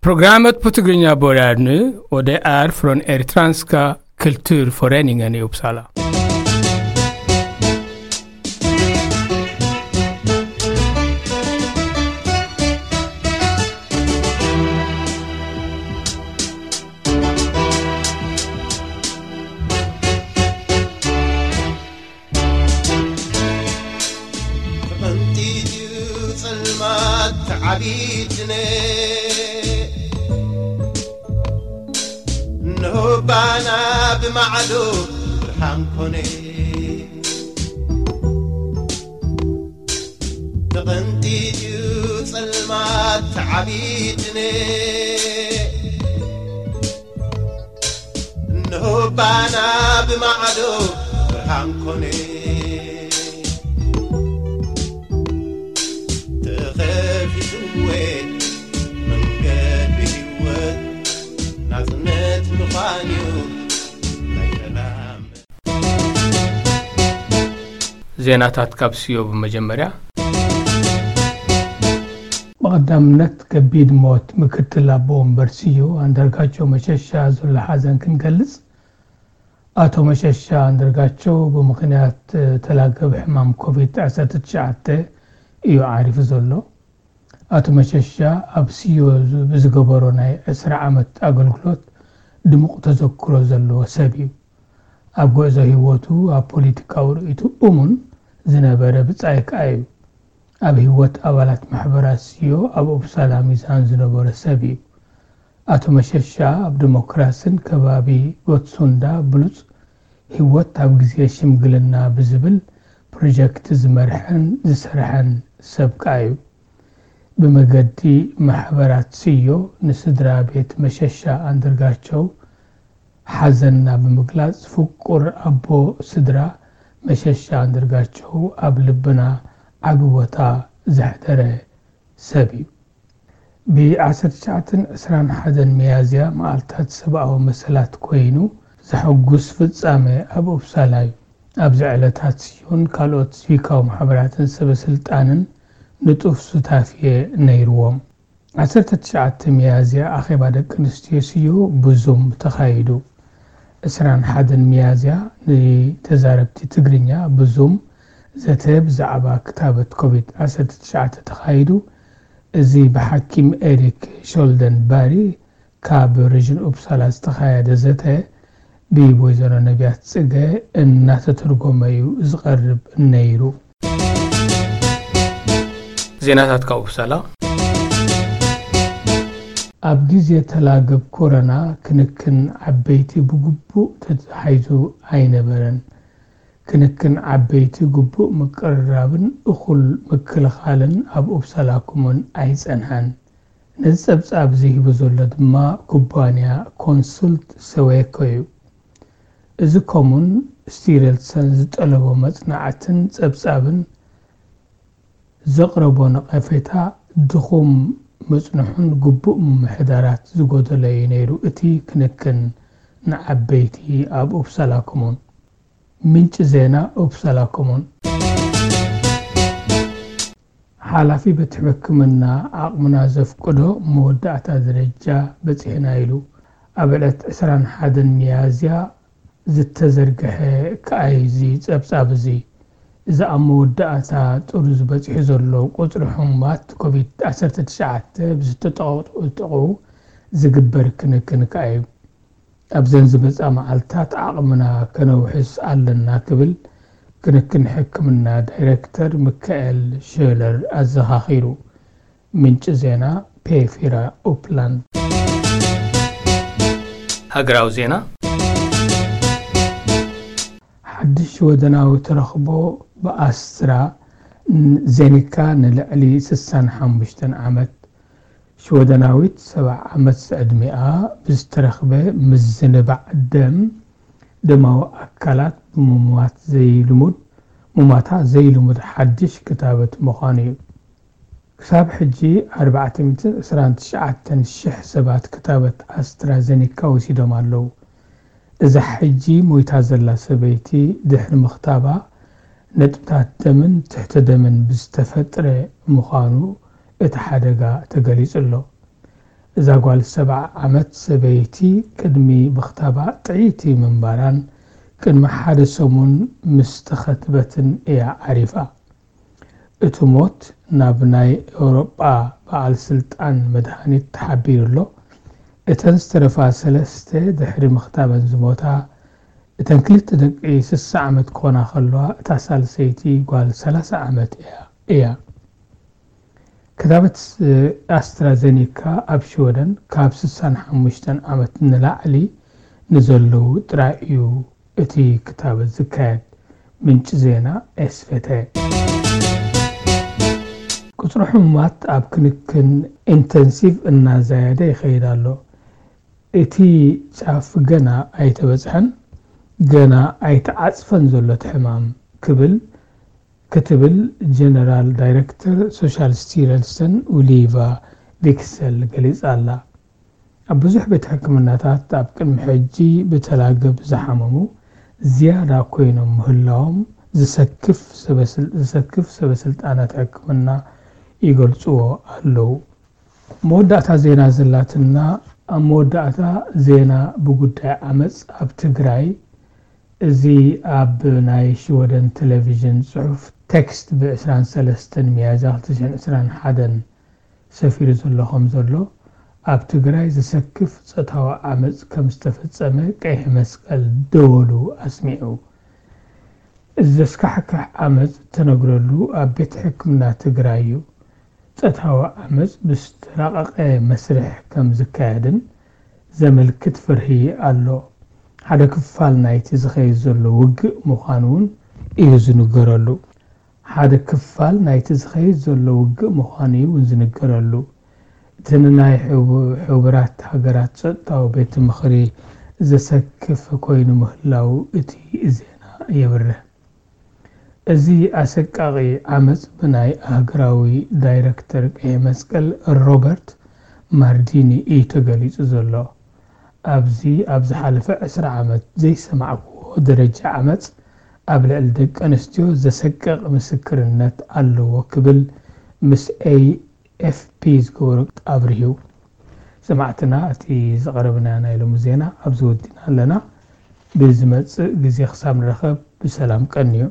Programmet på Tigrinya börjar nu och det är från Eritreanska kulturföreningen i Uppsala. ተቐንጢጥዩ ጸልማት ተዓቢትነ እንሆ ባና ብማዕዶ ብርሃን ኮነ። ተቐንጢጥዩ ጸልማት ተዓቢትነ እንሆ ባና ብማዕዶ ብርሃን ኮነ። ተኸፊትወ መንገዲ ህይወት ናጽነት ምዃንዩ ናይ ሰላም ዜናታት ካብ ስዮ ብመጀመርያ። ብቐዳምነት ከቢድ ሞት ምክትል ኣቦ ወንበር ስዮ ኣንዳርጋቸው መሸሻ ዘሎ ሓዘን ክንገልጽ፣ ኣቶ መሸሻ ኣንዳርጋቸው ብምኽንያት ተላገብ ሕማም ኮቪድ ዓሰርተ ትሽዓተ እዩ ዓሪፉ ዘሎ። ኣቶ መሸሻ ኣብ ስዮ ብዝገበሮ ናይ ዕስራ ዓመት ኣገልግሎት ድሙቕ ተዘክሮ ዘለዎ ሰብ እዩ። ኣብ ጉዕዞ ህይወቱ ኣብ ፖለቲካዊ ርእይቱ እሙን ዝነበረ ብጻይ ከኣ እዩ። ኣብ ህይወት ኣባላት ማሕበራት ስዮ ኣብ ኡፕሳላ ሚዛን ዝነበሮ ሰብ እዩ። ኣቶ መሸሻ ኣብ ዲሞክራስን ከባቢ ጎትሱንዳ ብሉጽ ህይወት ኣብ ግዜ ሽምግልና ብዝብል ፕሮጀክት ዝመርሐን ዝሰርሐን ሰብ ከኣ እዩ። ብመገዲ ማሕበራት ስዮ ንስድራ ቤት መሸሻ ኣንዳርጋቸው ሓዘንና ብምግላጽ፣ ፍቁር ኣቦ ስድራ መሸሻ ኣንዳርጋቸው ኣብ ልብና ዓቢ ቦታ ዘሕደረ ሰብ እዩ። ብ ዓሰርተ ትሽዓተን ዕስራን ሓደን ሚያዝያ መዓልታት ሰብኣዊ መሰላት ኮይኑ ዘሐጉስ ፍጻመ ኣብ ኡፕሳላ እዩ። ኣብዚ ዕለታት ስዮን ካልኦት ሲቪካዊ ማሕበራትን ሰበ ስልጣንን ንጡፍ ሱታፌ ነይርዎም። ዓሰርተ ትሽዓተ ሚያዝያ ኣኼባ ደቂ ኣንስትዮ ስዮ ብዙም ተኻይዱ። ዕስራን ሓደን ሚያዝያ ንተዛረብቲ ትግርኛ ብዙም ዘተ ብዛዕባ ክታበት ኮቪድ ዓሰርተ ትሽዓተ ተኻይዱ። እዚ ብሓኪም ኤሪክ ሾልደን ባሪ ካብ ሪጅን ኡፕሳላ ዝተኻየደ ዘተ ብወይዘሮ ነቢያት ጽገ እናተተርጎመ እዩ ዝቐርብ ነይሩ። ዜናታት ካብ ኡፕሳላ። ኣብ ግዜ ተላገብ ኮረና ክንክን ዓበይቲ ብግቡእ ተታሒዙ ኣይነበረን። ክንክን ዓበይቲ ግቡእ ምቅርራብን እኹል ምክልኻልን ኣብ ኡፕሳላ ኮሙን ኣይጸንሐን። ነዚ ጸብጻብ እዚ ሂቡ ዘሎ ድማ ኩባንያ ኮንሱልት ሰዌኮ እዩ። እዚ ኮሙን ስቲረልሰን ዝጠለቦ መጽናዕትን ጸብጻብን ዘቕረቦ ነቐፌታ ድኹም ምጽንሑን ግቡእ ምምሕዳራት ዝጎደሎ እዩ ነይሩ እቲ ክንክን ንዓበይቲ ኣብ ኡፕሳላ ኮሙን። ምንጪ ዜና ኡፕሳላ ኮሙን። ሓላፊ ቤት ሕክምና ዓቕምና ዘፍቅዶ መወዳእታ ደረጃ በጺሕና ኢሉ። ኣብ ዕለት ዕስራን ሓደን ሚያዝያ ዝተዘርግሐ ከኣ እዚ ጸብጻብ እዚ። እዚ ኣብ መወዳእታ ጥሩዝ በጺሑ ዘሎ ቁጽሪ ሕሙማት ኮቪድ ዓሰርተ ትሽዓተ ብዝተጠቕጠቑ ዝግበር ክንክን ከኣ እዩ። ኣብዘን ዝመጻ መዓልታት ዓቕምና ከነውሕስ ኣለና ክብል ክንክን ሕክምና ዳይረክተር ሚካኤል ሸለር ኣዘኻኺሩ። ምንጪ ዜና ፔፊራ ኡፕላንድ። ሃገራዊ ዜና። ሓድሽ ወደናዊ ተረኽቦ ብኣስትራ ዜኒካ ንልዕሊ ስሳን ሓሙሽተን ዓመት ሽወደናዊት ሰብዓ ዓመት ዕድሚኣ ብዝተረኽበ ምዝንባዕ ደም ደማዊ ኣካላት ብምሙማት ዘይልሙድ ሙማታ ዘይልሙድ ሓድሽ ክታበት ምዃኑ እዩ። ክሳብ ሕጂ ኣርባዕተ ሚእትን ዕስራን ትሽዓተን ሽሕ ሰባት ክታበት ኣስትራዘኒካ ወሲዶም ኣለዉ። እዛ ሕጂ ሞይታ ዘላ ሰበይቲ ድሕሪ ምኽታባ ነጥብታት ደምን ትሕተ ደምን ብዝተፈጥረ ምዃኑ እቲ ሓደጋ ተገሊጹ ኣሎ። እዛ ጓል ሰብዓ ዓመት ሰበይቲ ቅድሚ ምኽታባ ጥዕይቲ ምንባራን ቅድሚ ሓደ ሰሙን ምስ ተኸትበትን እያ ዓሪፋ። እቲ ሞት ናብ ናይ ኤውሮጳ በዓል ስልጣን መድሃኒት ተሓቢሩ ኣሎ። እተን ዝተረፋ ሰለስተ ድሕሪ ምኽታበን ዝሞታ፣ እተን ክልተ ደቂ ስሳ ዓመት ክኾና ከለዋ፣ እታ ሳልሰይቲ ጓል ሰላሳ ዓመት እያ። እያ። ክታበት ኣስትራዘኒካ ኣብ ሽወደን ካብ ስሳን ሓሙሽተን ዓመት ንላዕሊ ንዘለዉ ጥራይ እዩ እቲ ክታበት ዝካየድ። ምንጪ ዜና ኤስፌተ። ቁጽሪ ሕሙማት ኣብ ክንክን ኢንተንሲቭ እናዛየደ ይኸይድ ኣሎ። እቲ ጫፍ ገና ኣይተበጽሐን፣ ገና ኣይተዓጽፈን ዘሎ እቲ ሕማም ክብል ክትብል ጀነራል ዳይረክተር ሶሻል ስቲረልስተን ኡሊቫ ቪክሰል ገሊጻ ኣላ። ኣብ ብዙሕ ቤት ሕክምናታት ኣብ ቅድሚ ሕጂ ብተላገብ ዝሓመሙ ዝያዳ ኮይኖም ምህላዎም ዝሰክፍ ሰበስል-፣ ዝሰክፍ ሰበስልጣናት ሕክምና ይገልጽዎ ኣለዉ። መወዳእታ ዜና ዘላትና፣ ኣብ መወዳእታ ዜና ብጉዳይ ዓመጽ ኣብ ትግራይ፣ እዚ ኣብ ናይ ሽወደን ቴሌቪዥን ጽሑፍ ቴክስት ብ ዕስራን ሰለስተን ሚያዝያ ክልተ ሽሕን ዕስራን ሓደን ሰፊሩ ዘሎ ከም ዘሎ፣ ኣብ ትግራይ ዘሰክፍ ጾታዊ ዓመጽ ከም ዝተፈጸመ ቀይሕ መስቀል ደወሉ ኣስሚዑ። እዚ ዘስካሕክሕ ዓመጽ እተነግረሉ ኣብ ቤት ሕክምና ትግራይ እዩ። ጾታዊ ዓመጽ ብዝተራቐቐ መስርሕ ከም ዝካየድን ዘመልክት ፍርሂ ኣሎ። ሓደ ክፋል ናይቲ ዝኸይድ ዘሎ ውግእ ምዃኑ እውን እዩ ዝንገረሉ። ሓደ ክፋል ናይቲ ዝኸይድ ዘሎ ውግእ ምዃኑ እዩ እውን ዝንገረሉ። እቲ ንናይ ሕቡ-፣ ሕቡራት ሃገራት ጸጥታዊ ቤት ምኽሪ ዘሰክፍ ኮይኑ ምህላዉ እቲ ዜና የብርህ። እዚ ኣሰቃቒ ዓመጽ ብናይ ኣህጉራዊ ዳይረክተር ቀይሕ መስቀል ሮበርት ማርዲኒ እዩ ተገሊጹ ዘሎ። ኣብዚ ኣብ ዝሓለፈ ዕስራ ዓመት ዘይሰማዕክዎ ደረጃ ዓመጽ ኣብ ልዕሊ ደቂ ኣንስትዮ ዘሰቅቕ ምስክርነት ኣለዎ ክብል ምስ ኤ ኤፍ ፒ ዝገበሮ ኣብሪሁ። ሰማዕትና፣ እቲ ዝቐረብና ናይ ሎሚ ዜና ኣብዚ ወዲና ኣለና። ብዝመጽእ ግዜ ክሳብ ንረኸብ ብሰላም ቀንዩ።